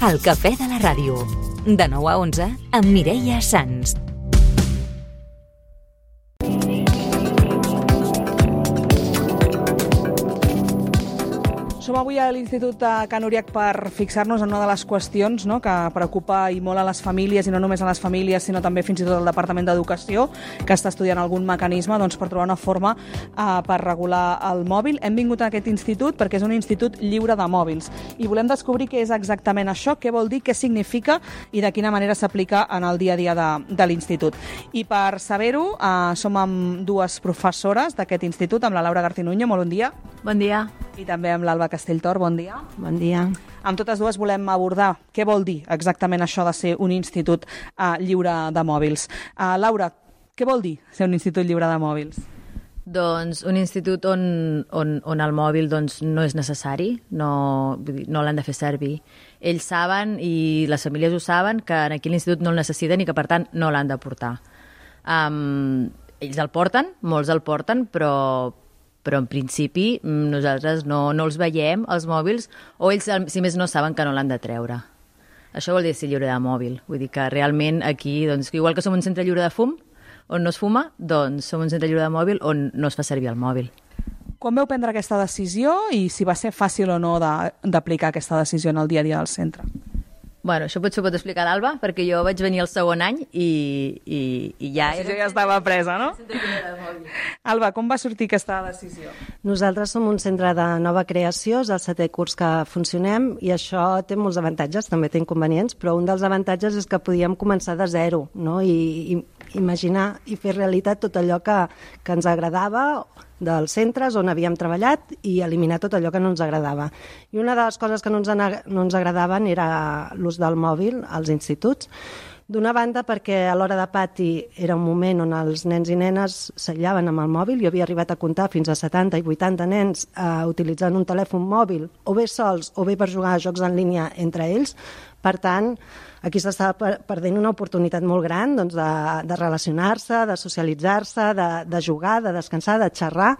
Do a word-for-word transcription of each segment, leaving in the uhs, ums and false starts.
El cafè de la ràdio. De nou a onze amb Mireia Sans. Som avui a l'Institut de Can Uriach per fixar-nos en una de les qüestions, no?, que preocupa i molt a les famílies, i no només a les famílies, sinó també fins i tot al Departament d'Educació, que està estudiant algun mecanisme doncs, per trobar una forma eh, per regular el mòbil. Hem vingut a aquest institut perquè és un institut lliure de mòbils i volem descobrir què és exactament això, què vol dir, què significa i de quina manera s'aplica en el dia a dia de, de l'institut. I per saber-ho, eh, som amb dues professores d'aquest institut, amb la Laura Garcinuño, molt bon dia. Bon dia. I també amb l'Alba Castelltor, bon dia. Bon dia. Amb totes dues volem abordar què vol dir exactament això de ser un institut uh, lliure de mòbils. Uh, Laura, què vol dir ser un institut lliure de mòbils? Doncs un institut on, on, on el mòbil doncs, no és necessari, no, vull dir, no l'han de fer servir. Ells saben, i les famílies ho saben, que aquí l'institut no el necessiten i que per tant no l'han de portar. Um, ells el porten, molts el porten, però... però en principi nosaltres no, no els veiem, els mòbils, o ells, si més no, saben que no l'han de treure. Això vol dir ser lliure de mòbil. Vull dir que realment aquí, doncs, igual que som un centre lliure de fum, on no es fuma, doncs som un centre lliure de mòbil on no es fa servir el mòbil. Quan vau prendre aquesta decisió i si va ser fàcil o no d'aplicar aquesta decisió en el dia a dia del centre? Bueno, això potser ho pot explicar l'Alba, perquè jo vaig venir el segon any i, i, i ja... La decisió ja estava presa, no? Alba, com va sortir aquesta decisió? Nosaltres som un centre de nova creació, és el setè curs que funcionem i això té molts avantatges, també té inconvenients, però un dels avantatges és que podíem començar de zero, no? I, i imaginar i fer realitat tot allò que, que ens agradava dels centres on havíem treballat i eliminar tot allò que no ens agradava. I una de les coses que no ens, no ens agradaven era l'ús del mòbil als instituts. D'una banda perquè a l'hora de pati era un moment on els nens i nenes s'aïllaven amb el mòbil. Jo havia arribat a comptar fins a setanta i vuitanta nens eh, utilitzant un telèfon mòbil o bé sols o bé per jugar a jocs en línia entre ells. Per tant, aquí s'estava perdent una oportunitat molt gran doncs, de, de relacionar-se, de socialitzar-se, de, de jugar, de descansar, de xerrar,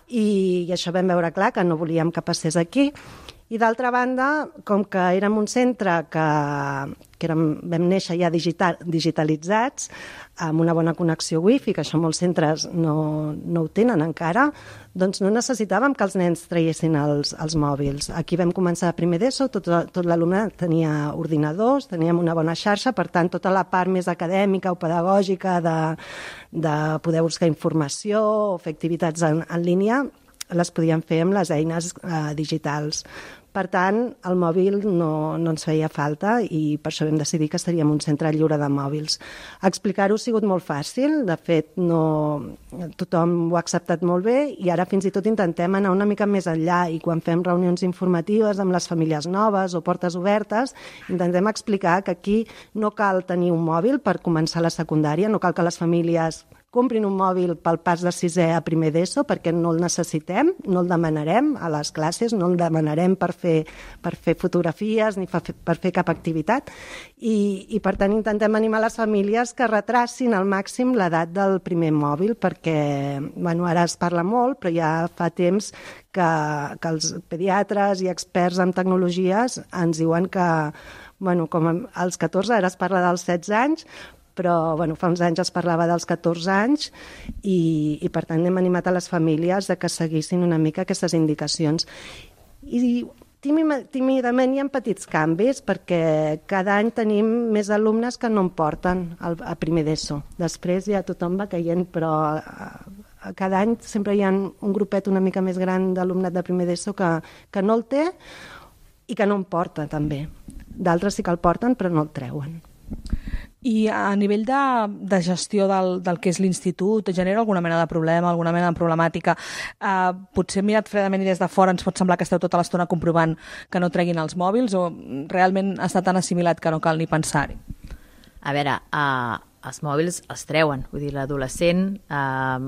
i, i això vam veure clar que no volíem que passés aquí. I d'altra banda, com que érem un centre que, que érem, vam néixer ja digital, digitalitzats, amb una bona connexió wifi, que això molts centres no, no ho tenen encara, doncs no necessitàvem que els nens traiessin els, els mòbils. Aquí vam començar a primer d'ESO, tot, tot l'alumne tenia ordinadors, teníem una bona xarxa, per tant, tota la part més acadèmica o pedagògica de, de poder buscar informació o fer activitats en, en línia, les podíem fer amb les eines eh, digitals. Per tant, el mòbil no, no ens feia falta i per això vam decidir que seríem un centre lliure de mòbils. Explicar-ho ha sigut molt fàcil, de fet no, tothom ho ha acceptat molt bé i ara fins i tot intentem anar una mica més enllà i quan fem reunions informatives amb les famílies noves o portes obertes, intentem explicar que aquí no cal tenir un mòbil per començar la secundària, no cal que les famílies comprin un mòbil pel pas de sisè a primer d'ESO perquè no el necessitem, no el demanarem a les classes, no el demanarem per fer, per fer fotografies ni per fer, per fer cap activitat i, i per tant intentem animar les famílies que retracin al màxim l'edat del primer mòbil perquè bueno, ara es parla molt però ja fa temps que, que els pediatres i experts en tecnologies ens diuen que bueno, com als catorze, ara es parla dels setze anys, però bueno, fa uns anys es parlava dels catorze anys i, i per tant hem animat a les famílies de que seguissin una mica aquestes indicacions. I tímidament hi ha petits canvis perquè cada any tenim més alumnes que no en porten al, a primer d'ESO. Després ja tothom va caient, però cada any sempre hi ha un grupet una mica més gran d'alumnat de primer d'ESO que, que no el té i que no en porta també. D'altres sí que el porten però no el treuen. I a nivell de, de gestió del, del que és l'institut, genera alguna mena de problema, alguna mena de problemàtica? Uh, potser mirat fredament i des de fora ens pot semblar que esteu tota l'estona comprovant que no treguin els mòbils o realment està tan assimilat que no cal ni pensar-hi? A veure, uh, els mòbils els treuen, vull dir, l'adolescent uh,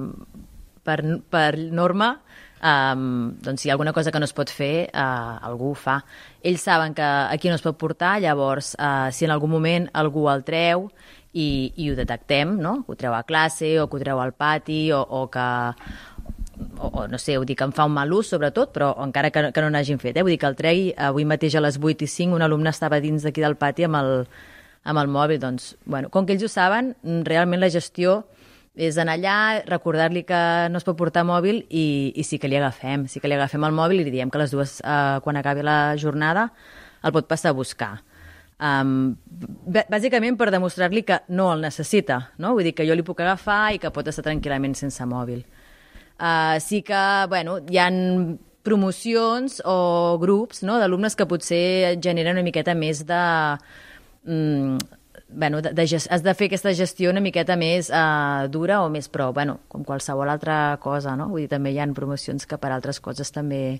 per, per norma Um, doncs si hi ha alguna cosa que no es pot fer uh, algú ho fa. Ells saben que aquí no es pot portar, llavors uh, si en algun moment algú el treu i, i ho detectem, no? Que ho treu a classe o que ho treu al pati o, o que o, o no sé, vull dir que em fa un mal ús sobretot, però encara que, que no n'hagin fet, eh? Vull dir que el tregui, avui mateix a les vuit i cinc un alumne estava dins d'aquí del pati amb el, amb el mòbil, doncs, bueno, com que ells ho saben, realment la gestió és anar allà, recordar-li que no es pot portar mòbil i, i sí que li agafem, sí que li agafem el mòbil i li diem que les dues, eh, quan acabi la jornada, el pot passar a buscar. Um, bàsicament per demostrar-li que no el necessita, no? Vull dir que jo li puc agafar i que pot estar tranquil·lament sense mòbil. Uh, sí que, bueno, hi ha promocions o grups, no?, d'alumnes que potser generen una miqueta més de... Mm, bueno, de, de, has de fer aquesta gestió una miqueta més uh, dura o més pro, bueno, com qualsevol altra cosa, no? Vull dir, també hi ha promocions que per altres coses també...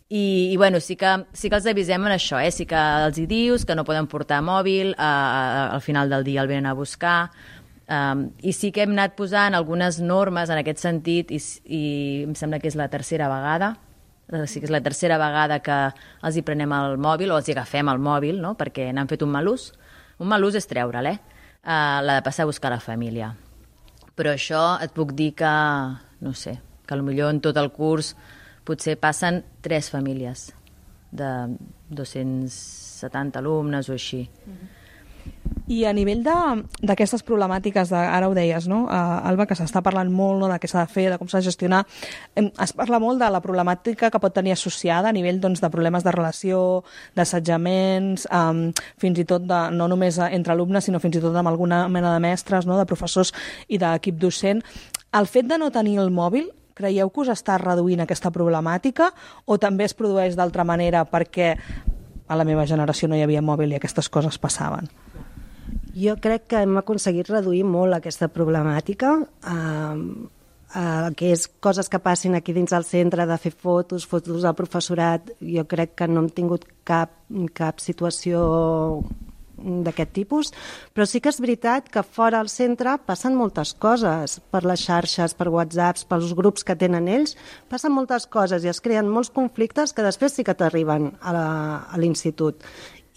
I, i bueno, sí que, sí que els avisem en això, eh? Sí que els hi dius que no poden portar mòbil, uh, uh, al final del dia el venen a buscar, um, i sí que hem anat posant algunes normes en aquest sentit, i, i em sembla que és la tercera vegada, sí que és la tercera vegada que els hi prenem el mòbil o els hi agafem el mòbil, no?, perquè n'han fet un mal ús. Un mal ús és treure'l, eh? Uh, l'ha de passar a buscar la família. Però això et puc dir que, no sé, que potser en tot el curs potser passen tres famílies de dos-cents setanta alumnes o així. Mm-hmm. I a nivell d'aquestes problemàtiques, de, ara ho deies, no, uh, Alba, que s'està parlant molt, no, de què s'ha de fer, de com s'ha de gestionar, em, es parla molt de la problemàtica que pot tenir associada a nivell, doncs, de problemes de relació, d'assetjaments, um, fins i tot de, no només entre alumnes, sinó fins i tot amb alguna mena de mestres, no, de professors i d'equip docent. El fet de no tenir el mòbil, creieu que us està reduint aquesta problemàtica o també es produeix d'altra manera perquè a la meva generació no hi havia mòbil i aquestes coses passaven? Jo crec que hem aconseguit reduir molt aquesta problemàtica, eh, eh, que és coses que passin aquí dins del centre, de fer fotos, fotos al professorat. Jo crec que no hem tingut cap, cap situació d'aquest tipus, però sí que és veritat que fora al centre passen moltes coses, per les xarxes, per whatsapps, pels grups que tenen ells, passen moltes coses i es creen molts conflictes que després sí que t'arriben a l'institut.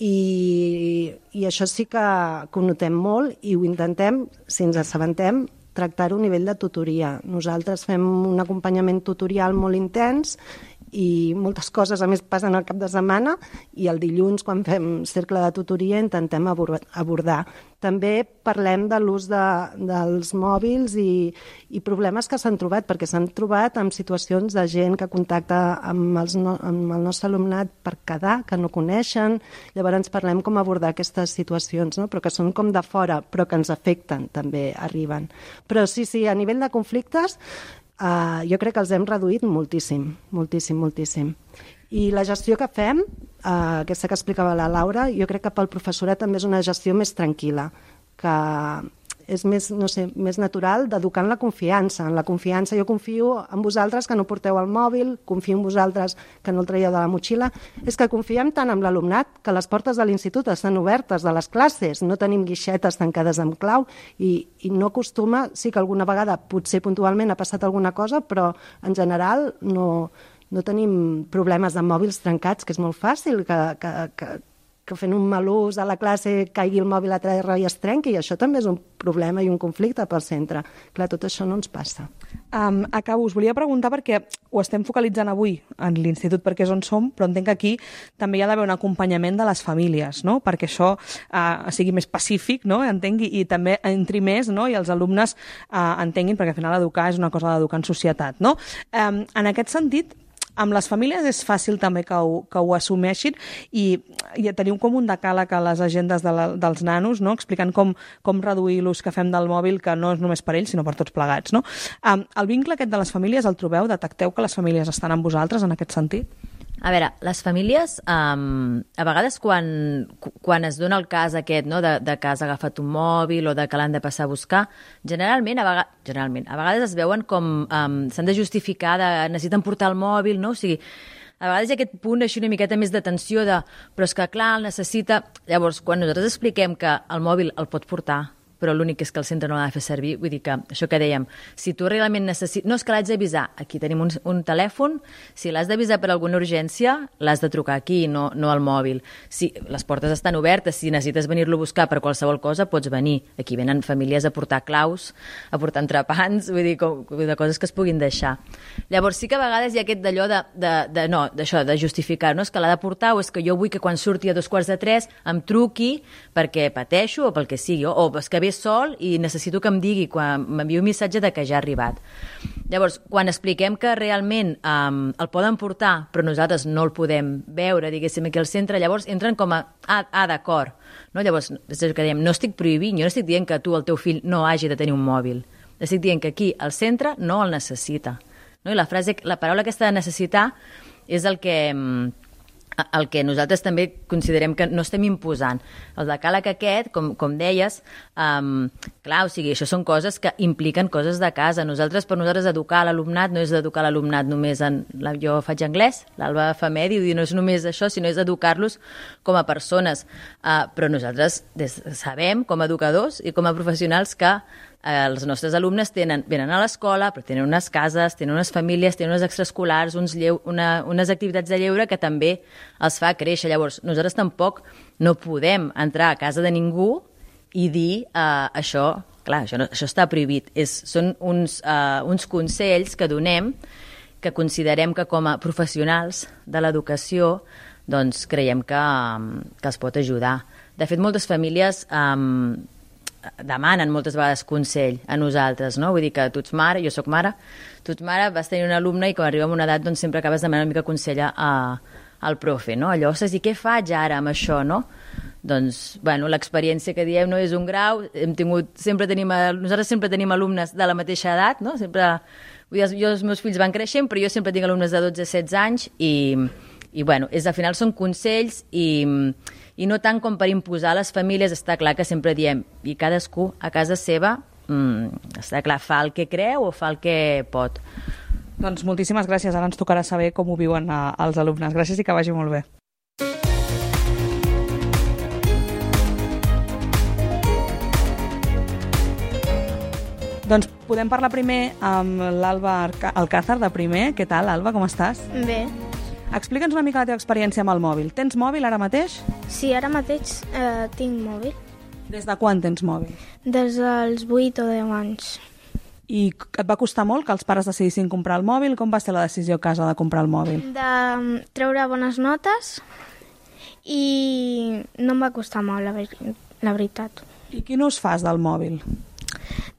I, i això sí que, que ho notem molt i ho intentem, si ens assabentem, tractar-ho a nivell de tutoria. Nosaltres fem un acompanyament tutorial molt intens i moltes coses a més passen al cap de setmana i el dilluns quan fem cercle de tutoria intentem abordar. També parlem de l'ús de, dels mòbils i, i problemes que s'han trobat, perquè s'han trobat en situacions de gent que contacta amb, els no, amb el nostre alumnat per quedar, que no coneixen. Llavors parlem com abordar aquestes situacions, no? Però que són com de fora, però que ens afecten, també arriben. Però sí, sí, a nivell de conflictes Uh, jo crec que els hem reduït moltíssim, moltíssim, moltíssim. I la gestió que fem, uh, aquesta que explicava la Laura, jo crec que pel professorat també és una gestió més tranquil·la, que és més, no sé, més natural d'educar en la confiança. En la confiança jo confio en vosaltres que no porteu el mòbil, confio en vosaltres que no el traieu de la motxilla. És que confiem tant en l'alumnat que les portes de l'institut estan obertes de les classes, no tenim guixetes tancades amb clau i, i no acostuma, sí que alguna vegada potser puntualment ha passat alguna cosa, però en general no, no tenim problemes de mòbils trencats, que és molt fàcil que... que, que que fent un mal ús a la classe caigui el mòbil a terra i es trenqui, i això també és un problema i un conflicte pel centre. Clar, tot això no ens passa. Um, acabo, us volia preguntar perquè ho estem focalitzant avui en l'institut perquè és on som, però entenc que aquí també hi ha d'haver un acompanyament de les famílies, no?, perquè això uh, sigui més pacífic, no?, entenc, i, i també entri més, no?, i els alumnes uh, entenguin, perquè al final educar és una cosa d'educar en societat, no? Um, en aquest sentit, amb les famílies és fàcil també que ho, que ho assumeixin i, i teniu com un decàleg a les agendes de la, dels nanos, no?, explicant com, com reduir l'ús que fem del mòbil, que no és només per ells, sinó per tots plegats, no? Um, el vincle aquest de les famílies el trobeu? Detecteu que les famílies estan amb vosaltres en aquest sentit? A veure, les famílies, um, a vegades quan, quan es dona el cas aquest, no?, de, de que has agafat un mòbil o de que l'han de passar a buscar, generalment, a vegades, generalment, a vegades es veuen com um, s'han de justificar, de, necessiten portar el mòbil, no? O sigui, a vegades hi ha aquest punt així una miqueta més de tensió de, però és que clar, el necessita... Llavors, quan nosaltres expliquem que el mòbil el pot portar, però l'únic és que el centre no l'ha de fer servir. Vull dir que, això que dèiem, si tu realment necessites... No, és que l'haig d'avisar. Aquí tenim un, un telèfon. Si l'has d'avisar per alguna urgència, l'has de trucar aquí, no, no al mòbil. Si les portes estan obertes, si necessites venir-lo a buscar per qualsevol cosa, pots venir. Aquí venen famílies a portar claus, a portar entrepans, vull dir, com, de coses que es puguin deixar. Llavors, sí que a vegades hi ha aquest d'allò de, de, de, no, d'això, de justificar, no? És que l'ha de portar o és que jo vull que quan surti a dos quarts de tres em truqui perquè pateixo o pel que sigui, o és que ve sol i necessito que em digui quan m'enviï un missatge de que ja ha arribat. Llavors, quan expliquem que realment um, el poden portar, però nosaltres no el podem veure, diguéssim, aquí al centre, llavors entren com a, ah, ah d'acord. No? Llavors, és el que dèiem, no estic prohibint, jo no estic dient que tu, el teu fill, no hagi de tenir un mòbil. Estic dient que aquí, al centre, no el necessita. No? I la frase, la paraula aquesta de necessitar és el que... el que nosaltres també considerem que no estem imposant. El decàleg aquest, com, com deies, um, clar, o sigui, això són coses que impliquen coses de casa. Nosaltres, per nosaltres, educar l'alumnat no és educar l'alumnat només en... La, jo faig anglès, l'Alba fa medi, i no és només això, sinó és educar-los com a persones. Uh, però nosaltres des, sabem, com a educadors i com a professionals, que els nostres alumnes tenen, venen a l'escola, però tenen unes cases, tenen unes famílies, tenen unes extraescolars, uns lleu, una, unes activitats de lleure que també els fa créixer. Llavors, nosaltres tampoc no podem entrar a casa de ningú i dir uh, això, clar, això, no, això està prohibit. És, són uns, uh, uns consells que donem que considerem que com a professionals de l'educació doncs creiem que, um, que els pot ajudar. De fet, moltes famílies... Um, demanen moltes vegades consell a nosaltres, no? Vull dir que tu ets mare, jo sóc mare, tu ets mare, vas tenir un alumne i quan arriba a una edat doncs sempre acabes demanant una mica consell a, al profe, no? Allò, ostres, i què faig ara amb això, no? Doncs, bueno, l'experiència que diem no és un grau, hem tingut, sempre tenim, nosaltres sempre tenim alumnes de la mateixa edat, no? Sempre, vull dir, jo, els meus fills van creixent, però jo sempre tinc alumnes de dotze a setze anys i, i bueno, és, al final són consells i... i no tant com per imposar a les famílies. Està clar que sempre diem, i cadascú a casa seva, mmm, està clar, fa el que creu o fa el que pot. Doncs moltíssimes gràcies, ara ens tocarà saber com ho viuen a, els alumnes. Gràcies i que vagi molt bé. Doncs podem parlar primer amb l'Alba Alcázar de primer. Què tal, Alba, com estàs? Bé. Explica'ns una mica la teva experiència amb el mòbil. Tens mòbil ara mateix? Sí, ara mateix eh, tinc mòbil. Des de quan tens mòbil? Des dels vuit o deu anys. I et va costar molt que els pares decidissin comprar el mòbil? Com va ser la decisió a casa de comprar el mòbil? De treure bones notes i no em va costar molt, la, ver la veritat. I quin ús fas del mòbil?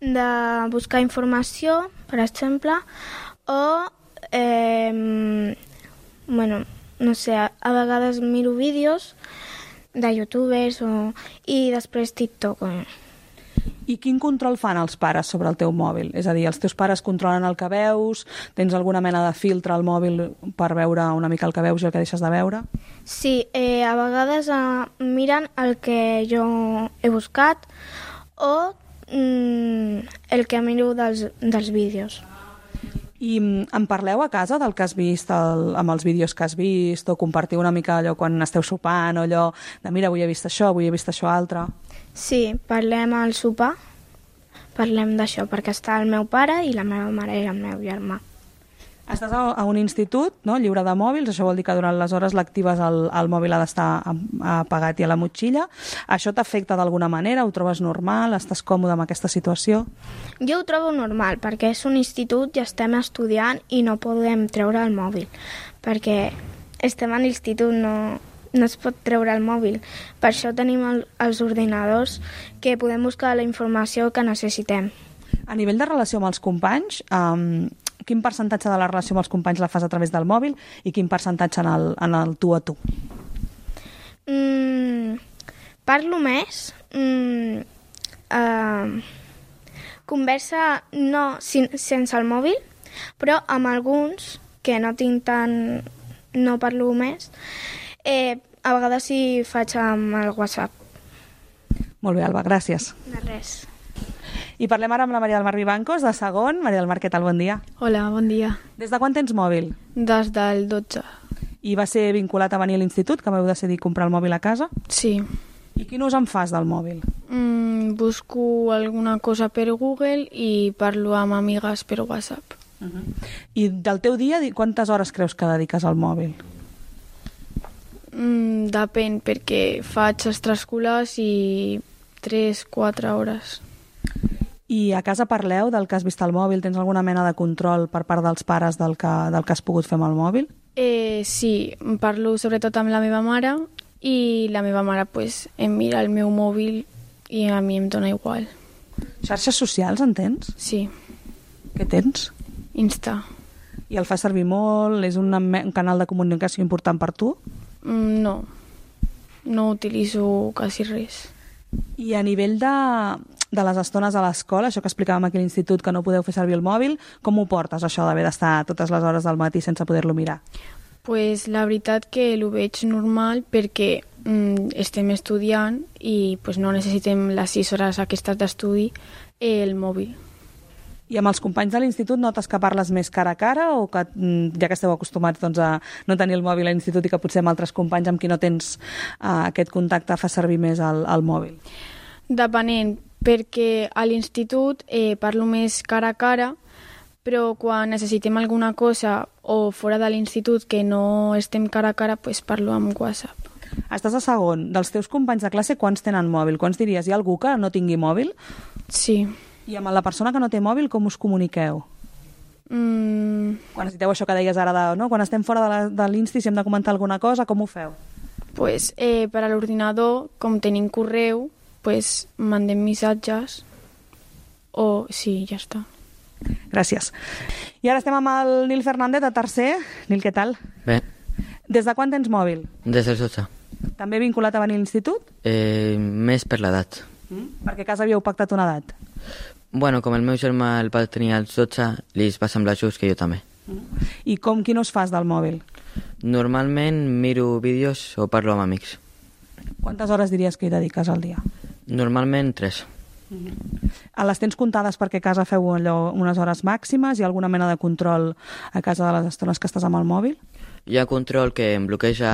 De buscar informació, per exemple, o... Eh, bueno, no sé, a, a vegades miro vídeos de youtubers o, i després TikTok. I quin control fan els pares sobre el teu mòbil? És a dir, els teus pares controlen el que veus? Tens alguna mena de filtre al mòbil per veure una mica el que veus i el que deixes de veure? Sí, eh, a vegades eh, miren el que jo he buscat o mm, el que miro dels, dels vídeos. I en parleu a casa del que has vist, el, amb els vídeos que has vist, o compartiu una mica allò quan esteu sopant, o allò de mira, avui he vist això, avui he vist això altre? Sí, parlem al sopar, parlem d'això, perquè està el meu pare i la meva mare i el meu germà. Estàs a, a un institut, no?, lliure de mòbils, això vol dir que durant les hores lectives el, el mòbil ha d'estar apagat i a la motxilla. Això t'afecta d'alguna manera? Ho trobes normal? Estàs còmode amb aquesta situació? Jo ho trobo normal, perquè és un institut i estem estudiant i no podem treure el mòbil, perquè estem a l'institut, no, no es pot treure el mòbil. Per això tenim el, els ordinadors que podem buscar la informació que necessitem. A nivell de relació amb els companys, um, quin percentatge de la relació amb els companys la fas a través del mòbil i quin percentatge en el, en el tu a tu? Mm, parlo més. Mm, uh, conversa no sin, sense el mòbil, però amb alguns que no tinc tant... no parlo més. Eh, a vegades sí faig amb el WhatsApp. Molt bé, Alba, gràcies. De res. I parlem ara amb la Maria del Mar Vivancos, de segon. Maria del Mar, què tal? Bon dia. Hola, bon dia. Des de quan tens mòbil? Des del dotze. I va ser vinculat a venir a l'institut, que vau decidir comprar el mòbil a casa? Sí. I quin ús en fas del mòbil? Mm, busco alguna cosa per Google i parlo amb amigues per WhatsApp. Uh-huh. I del teu dia, quantes hores creus que dediques al mòbil? Mm, depèn, perquè faig extraescolars i tres quatre hores. I a casa parleu del que has vist al mòbil? Tens alguna mena de control per part dels pares del que, del que has pogut fer amb el mòbil? Eh, sí, parlo sobretot amb la meva mare i la meva mare pues, em mira el meu mòbil i a mi em dona igual. Xarxes socials en tens? Sí. Què tens? Insta. I el fas servir molt? És un, un canal de comunicació important per tu? Mm, no. No utilitzo quasi res. I a nivell de, de les estones a l'escola, això que explicàvem aquí a l'institut, que no podeu fer servir el mòbil, com ho portes, això d'haver d'estar totes les hores del matí sense poder-lo mirar? Pues la veritat que ho veig normal perquè mm, estem estudiant i pues, no necessitem les sis hores aquestes d'estudi el mòbil. I amb els companys de l'institut notes que parles més cara a cara o que ja que esteu acostumats doncs, a no tenir el mòbil a l'institut i que potser amb altres companys amb qui no tens uh, aquest contacte fa servir més el, el mòbil? Depenent, perquè a l'institut eh, parlo més cara a cara, però quan necessitem alguna cosa o fora de l'institut que no estem cara a cara, pues parlo amb WhatsApp. Estàs a segon. Dels teus companys de classe, quants tenen mòbil? Quants diries? Hi ha algú que no tingui mòbil? Sí. I amb la persona que no té mòbil, com us comuniqueu? Mm. Quan necessiteu això que deies ara, de, no? Quan estem fora de, la, de l'insti, si hem de comentar alguna cosa, com ho feu? Pues, eh, per a l'ordinador, com tenim correu, pues, mandem missatges o... sí, ja està. Gràcies. I ara estem amb el Nil Fernández, de tercer. Nil, què tal? Bé. Des de quan tens mòbil? Des dels dotze. També vinculat a venir a l'institut? Eh, més per l'edat. Mm? Perquè a casa havíeu pactat una edat? Bueno, com el meu germà el va tenir als dotze, li va semblar just que jo també. Mm. I com, quin ús fas del mòbil? Normalment miro vídeos o parlo amb amics. Quantes hores diries que hi dediques al dia? Normalment tres. Mm-hmm. Les tens comptades perquè a casa feu allò, unes hores màximes? Hi ha alguna mena de control a casa de les estones que estàs amb el mòbil? Hi ha control que em bloqueja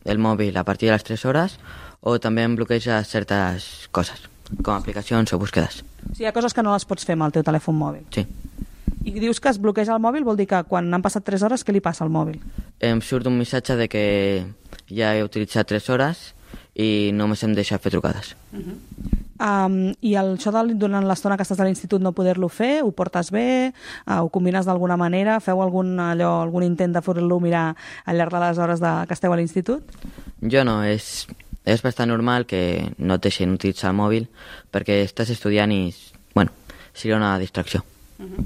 el mòbil a partir de les tres hores o també em bloqueja certes coses, com aplicacions o búsquedes. O sigui, hi ha coses que no les pots fer amb el teu telèfon mòbil? Sí. I dius que es bloqueja el mòbil, vol dir que quan han passat tres hores, què li passa al mòbil? Em surt un missatge de que ja he utilitzat tres hores i només em deixa fer trucades. Uh-huh. um, I el, això de, durant l'estona que estàs a l'institut no poder-lo fer, ho portes bé? Uh, ho combines d'alguna manera? Feu algun, allò, algun intent de fer-lo mirar al llarg de les hores de, que esteu a l'institut? Jo no, és, és bastant normal que no et deixin utilitzar el mòbil perquè estàs estudiant i, bueno, seria una distracció. Uh-huh.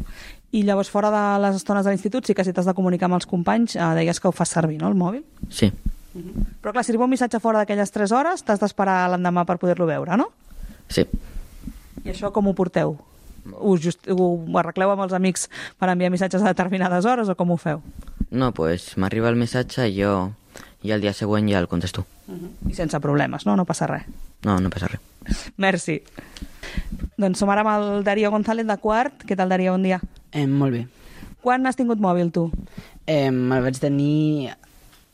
I llavors fora de les estones de l'institut sí que si t'has de comunicar amb els companys uh, deies que ho fas servir, no, el mòbil? Sí. Uh-huh. Però clar, si arriba un missatge fora d'aquelles tres hores t'has d'esperar l'endemà per poder-lo veure, no? Sí. I això com ho porteu? Ho, just, ho arregleu amb els amics per enviar missatges a determinades hores o com ho feu? No, doncs pues, m'arriba el missatge i jo i el dia següent ja el contesto. Uh-huh. I sense problemes, no? No passa res. No, no passa res. Merci. Doncs som ara amb el Darío González de quart. Què tal, Darío? Bon dia. Eh, molt bé. Quan has tingut mòbil, tu? Eh, me'l vaig tenir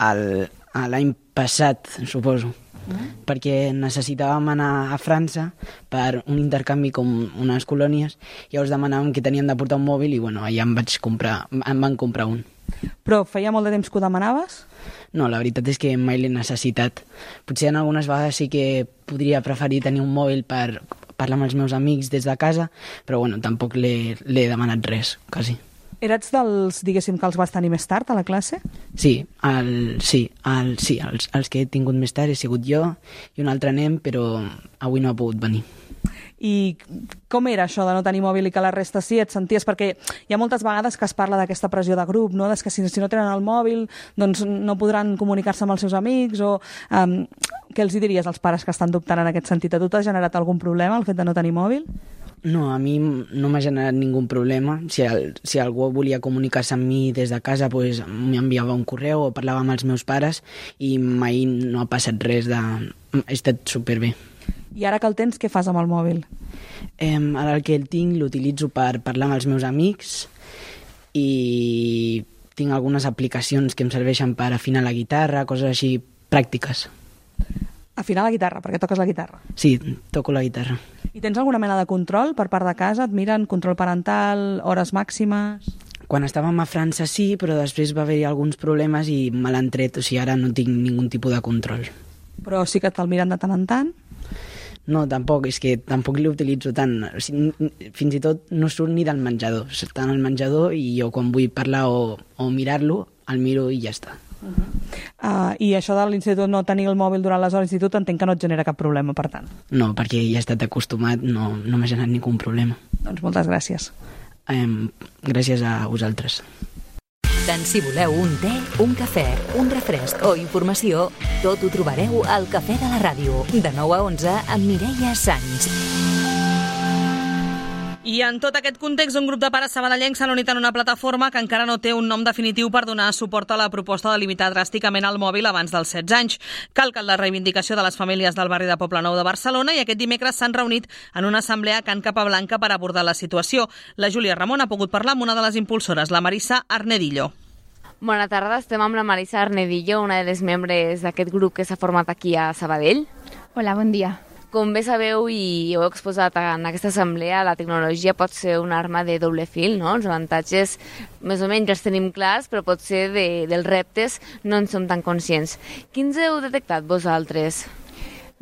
el, l'any passat, suposo, mm. perquè necessitàvem anar a França per un intercanvi com unes colònies, i llavors demanàvem que teníem de portar un mòbil i bueno, allà em vaig comprar, em van comprar un. Però feia molt de temps que ho demanaves? No, la veritat és que mai l'he necessitat. Potser en algunes vegades sí que podria preferir tenir un mòbil per parlar amb els meus amics des de casa, però bueno, tampoc l'he, l'he demanat res, quasi. Eres dels, diguéssim, que els vas tenir més tard a la classe? Sí, el, sí, el, sí els, els que he tingut més tard he sigut jo i un altre nen, però avui no ha pogut venir. I com era això de no tenir mòbil i que la resta sí? Et senties? Perquè hi ha moltes vegades que es parla d'aquesta pressió de grup, no? Des que si, si no tenen el mòbil doncs no podran comunicar-se amb els seus amics o... Um, què els diries als pares que estan dubtant en aquest sentit? A tu t'ha generat algun problema el fet de no tenir mòbil? No, a mi no m'ha generat ningú problema. Si, el, si algú volia comunicar-se amb mi des de casa, pues, m'enviava un correu o parlava amb els meus pares i mai no ha passat res de... He estat superbé. I ara que el tens, què fas amb el mòbil? Eh, ara el que el tinc l'utilitzo per parlar amb els meus amics i tinc algunes aplicacions que em serveixen per afinar la guitarra, coses així pràctiques. Afinar la guitarra, perquè toques la guitarra. Sí, toco la guitarra. I tens alguna mena de control per part de casa? Et miren control parental, hores màximes? Quan estàvem a França sí, però després va haver-hi alguns problemes i me l'han tret, o sigui, ara no tinc ningun tipus de control. Però sí que te'l miren de tant en tant? No, tampoc, és que tampoc l'utilitzo tant. O sigui, fins i tot no surt ni del menjador. Està en el menjador i jo quan vull parlar o, o mirar-lo, el miro i ja està. Uh-huh. uh, I això de l'institut, no tenir el mòbil durant les hores d'institut, entenc que no et genera cap problema, per tant. No, perquè ja he estat acostumat, no, no m'ha generat ningú problema. Doncs moltes gràcies. Um, gràcies a vosaltres. Tant si voleu un te, un cafè, un refresc o informació, tot ho trobareu al Cafè de la Ràdio, de nou a onze amb Mireia Sans. I en tot aquest context, un grup de pares sabadellencs s'han unit en una plataforma que encara no té un nom definitiu per donar suport a la proposta de limitar dràsticament el mòbil abans dels setze anys. Cal que la reivindicació de les famílies del barri de Poblenou de Barcelona, i aquest dimecres s'han reunit en una assemblea a Can Capablanca per abordar la situació. La Júlia Ramon ha pogut parlar amb una de les impulsores, la Marissa Arnedillo. Bona tarda, estem amb la Marissa Arnedillo, una de les membres d'aquest grup que s'ha format aquí a Sabadell. Hola, bon dia. Com bé sabeu i heu exposat en aquesta assemblea, la tecnologia pot ser una arma de doble fil, no? Els avantatges més o menys els tenim clars, però potser de, dels reptes no en som tan conscients. Quins heu detectat vosaltres?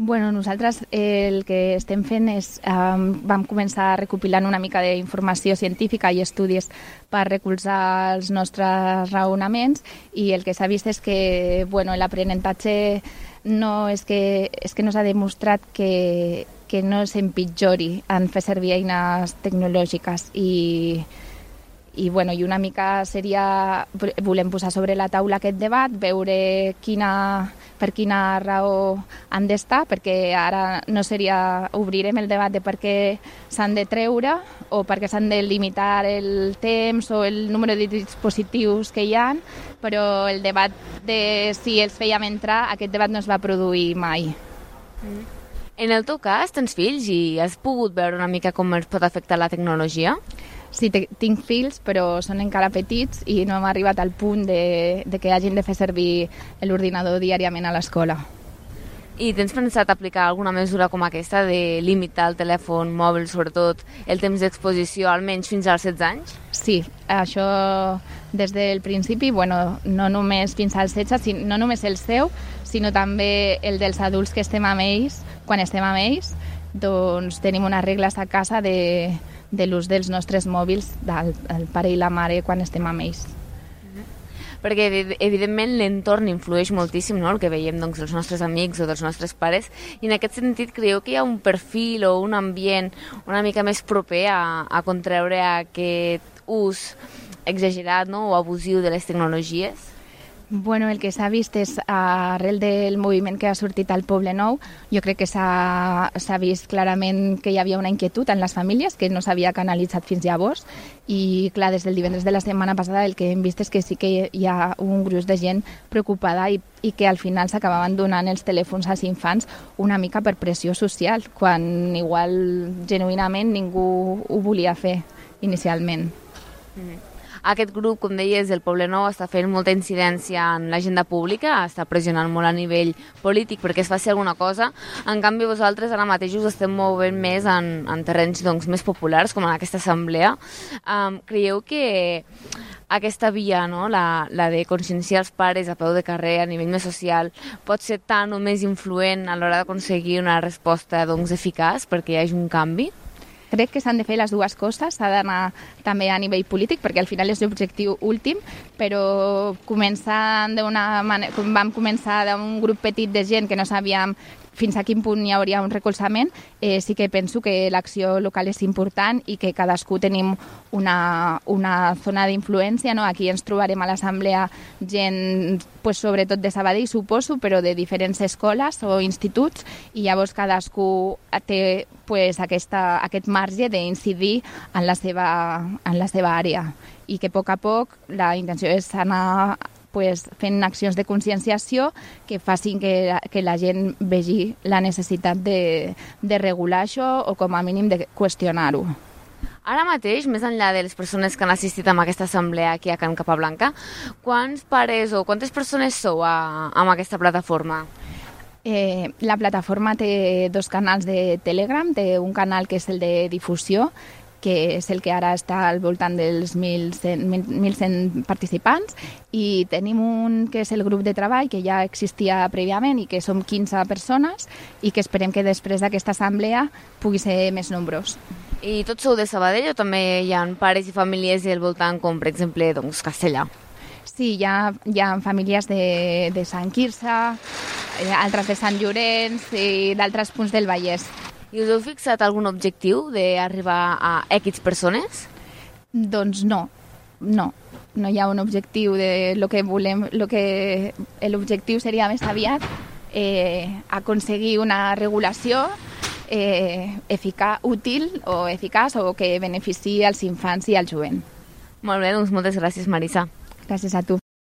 Bueno, nosaltres el que estem fent és, um, vam començar recopilant una mica d'informació científica i estudis per recolzar els nostres raonaments, i el que s'ha vist és que bueno, l'aprenentatge no és que, és que no s'ha demostrat que, que no s'empitjori en fer servir eines tecnològiques i, i, bueno, i una mica seria, volem posar sobre la taula aquest debat, veure quina, per quina raó han d'estar, perquè ara no seria, obrirem el debat de per què s'han de treure o per què s'han de limitar el temps o el número de dispositius que hi ha, però el debat de si els fèiem entrar, aquest debat no es va produir mai. En el teu cas, tens fills i has pogut veure una mica com els pot afectar la tecnologia? Sí, tinc fills, però són encara petits i no hem arribat al punt de, de que hagin de fer servir l'ordinador diàriament a l'escola. I tens pensat aplicar alguna mesura com aquesta de limitar el telèfon mòbil, sobretot el temps d'exposició, almenys fins als setze anys? Sí, això des del principi, bueno, no només fins als setze, no només el seu, sinó també el dels adults que estem amb ells, quan estem amb ells, doncs tenim unes regles a casa de, de l'ús dels nostres mòbils, del el pare i la mare, quan estem amb ells. Perquè evidentment l'entorn influeix moltíssim, no?, el que veiem doncs, dels nostres amics o dels nostres pares, i en aquest sentit creieu que hi ha un perfil o un ambient una mica més proper a, a contreure aquest ús exagerat, no?, o abusiu de les tecnologies? Bueno, el que s'ha vist és, arrel del moviment que ha sortit al Poblenou, jo crec que s'ha vist clarament que hi havia una inquietud en les famílies que no s'havia canalitzat fins llavors, i clar, des del divendres de la setmana passada el que hem vist és que sí que hi ha un gruix de gent preocupada i, i que al final s'acabaven donant els telèfons als infants una mica per pressió social, quan igual genuïnament ningú ho volia fer inicialment. Mm. Aquest grup, com deies, del Poblenou està fent molta incidència en l'agenda pública, està pressionant molt a nivell polític perquè es faci alguna cosa. En canvi, vosaltres ara mateix us estem movent més en, en terrenys doncs, més populars, com en aquesta assemblea. Um, creieu que aquesta via, no? la, la de conscienciar els pares a peu de carrer a nivell més social, pot ser tan o més influent a l'hora d'aconseguir una resposta doncs, eficaç perquè hi hagi un canvi? Crec que s'han de fer les dues coses, s'ha d'anar també a nivell polític, perquè al final és l'objectiu últim, però començant d'una manera, vam començar d'un grup petit de gent que no sabíem fins a quin punt hi hauria un recolzament, eh, sí que penso que l'acció local és important i que cadascú tenim una, una zona d'influència, no? Aquí ens trobarem a l'assemblea gent, pues, sobretot de Sabadell, suposo, però de diferents escoles o instituts, i llavors cadascú té pues, aquesta, aquest marge d'incidir en la seva, en la seva àrea, i que a poc a poc la intenció és anar pues, fent accions de conscienciació que facin que, que la gent vegi la necessitat de, de regular això o com a mínim de qüestionar-ho. Ara mateix, més enllà de les persones que han assistit a aquesta assemblea aquí a Can Capablanca, quants pares o quantes persones sou a, amb aquesta plataforma? Eh, la plataforma té dos canals de Telegram, té un canal que és el de difusió, que és el que ara està al voltant dels mil cent participants, i tenim un que és el grup de treball, que ja existia prèviament i que som quinze persones i que esperem que després d'aquesta assemblea pugui ser més nombrós. I tots sou de Sabadell o també hi ha pares i famílies al voltant, com per exemple doncs, Castellà? Sí, hi ha, hi ha famílies de, de Sant Quirze, altres de Sant Llorenç i d'altres punts del Vallès. I us heu fixat algun objectiu d'arribar a X persones? Doncs no, no. No hi ha un objectiu de lo que volem, lo que l'objectiu seria més aviat eh, aconseguir una regulació eh, eficaç, útil o eficaç o que beneficiï als infants i al jovent. Molt bé, doncs moltes gràcies, Marisa. Gràcies a tu.